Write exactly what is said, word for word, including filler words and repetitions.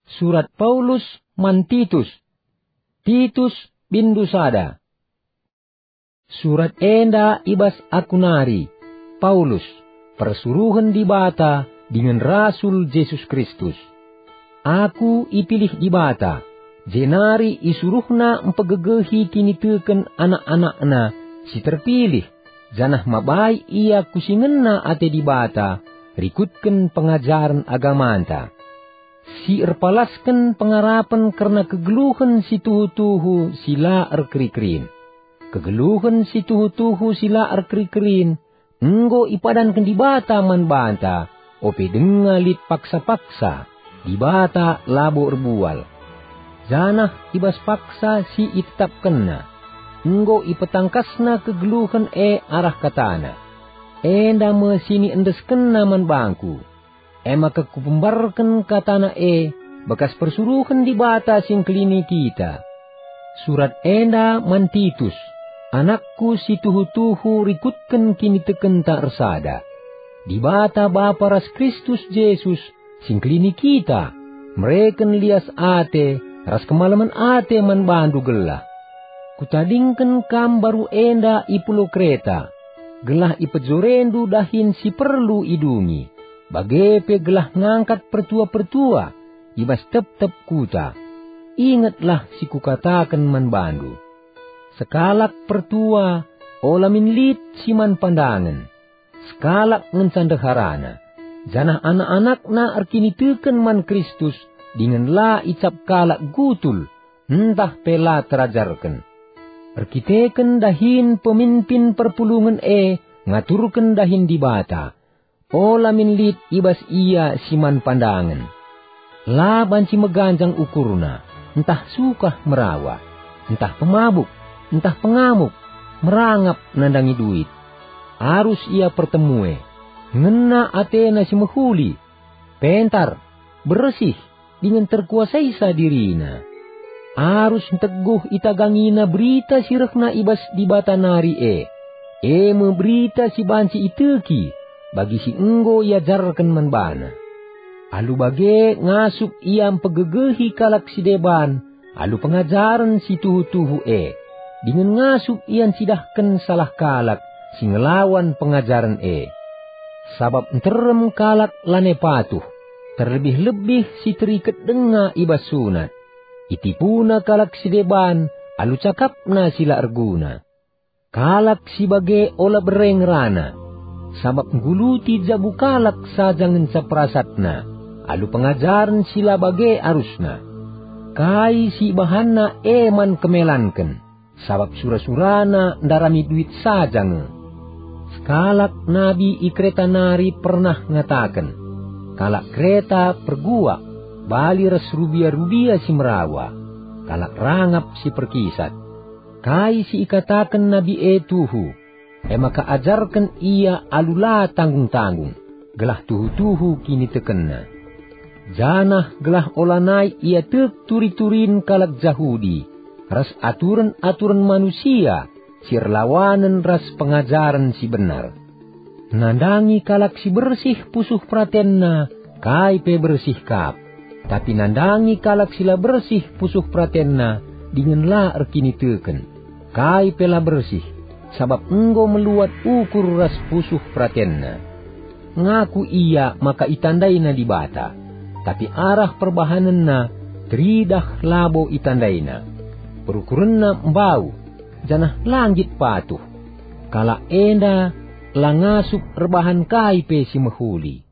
Surat Paulus man Titus. Titus, bindu sada. Surat enda i bas aku nari, Paulus, persuruhen Dibata dingen rasul Jesus Kristus. Aku ipilih Dibata, jenari isuruhNa mpegegehi kiniteken anak-anakNa si terpilih, janah mabai ia ku si ngena ate Dibata rikutken pengajaren agamanta, si erpalasken pengarapen kerna kegeluhen si tuhu-tuhu si la erkeri-kerin. Kegeluhen si tuhu-tuhu si la erkeri-kerin enggo ipadanken Dibata man banta, ope denga lit paksa-paksa, Dibata labo erbual. Janah i bas paksa si itetapkenNa, enggo ipetangkasNa kegeluhen e arah kataNa. Enda me si niendeskenNa man bangku. E maka kupembarken kataNa e bekas persuruhen Dibata si engkelini kita. Surat enda man Titus, anakku si tuhu-tuhu rikutken kinitekenta ersada. Dibata Bapa ras Kristus Jesus si engkelini kita, mereken lias ate ras kemalemen ate man bandu gelah. Kutadingken kam mbaru enda i pulau Kreta, gelah ipejorendu dahin si perlu idungi, bage pe gelah ngangkat pertua-pertua i bas tep-tep kuta. Ingetlah si kukataken man bandu. Sekalak pertua ola min lit si man pandangen, sekalak ngenca ndeharana, janah anak-anakna erkiniteken man Kristus dingen la icap kalak gutul ntah pe la terajarken. Erkiteken dahin peminpin perpulungen e ngaturken dahin Dibata, ola min lit i bas ia si man pandangen. La banci meganjang ukurna, ntah sukah merawa, ntah pemabuk, ntah pengamuk, merangap nandangi duit. Arus ia pertemue, ngena atena si mehuli, pentar, bersih, dingen terkuasaisa dirina. Arus nteguh itagangina berita si rehna i bas Dibata nari e, e me berita si banci iteki bagi si enggo iajarken man bana. Alu bage ngasup ia mpegegehi kalak si deban alu pengajaren si tuhu-tuhu e, dingen ngasup ia ncidahken salah kalak si ngelawan pengajaren e. Sabap nterem kalak lanai patuh, terlebih-lebih si teriket denga i bas sunat. Itipuna kalak si deban alu cakapna si la erguna. Kalak si bage ola bere ngerana, sabap ngguluti jabu kalak saja ngenca perasatna, alu pengajaren si la bage arusna. Kai si ibahanna e man kemelanken, sabap sura-surana ndarami duit saja nge. Sekalak nabi i Kreta nari pernah ngataken, "Kalak Kreta perguak, bali ras rubia-rubia si merawa, kalak rangap si perkisat." Kai si ikataken nabi e tuhu, e maka ajarken ia alu la tanggung-tanggung, gelah tuhu-tuhu kinitekenna. Janah gelah olanai ia tek turi-turin kalak Jahudi ras aturen-aturen manusia si erlawanen ras pengajaren si benar. Nandangi kalak si bersih pusuh peratenna, kai pe bersih kap. Tapi nandangi kalak si la bersih pusuh peratenna dingen la erkiniteken, kai pe la bersih, sabap enggo meluat ukur ras pusuh peratenna. Ngaku ia maka itandaina Dibata, tapi arah perbahanenna teridah labo itandaina. Perukurenna mbau, janah la nggit patuh. Kalak enda la ngasup erbahan kai pe si mehuli.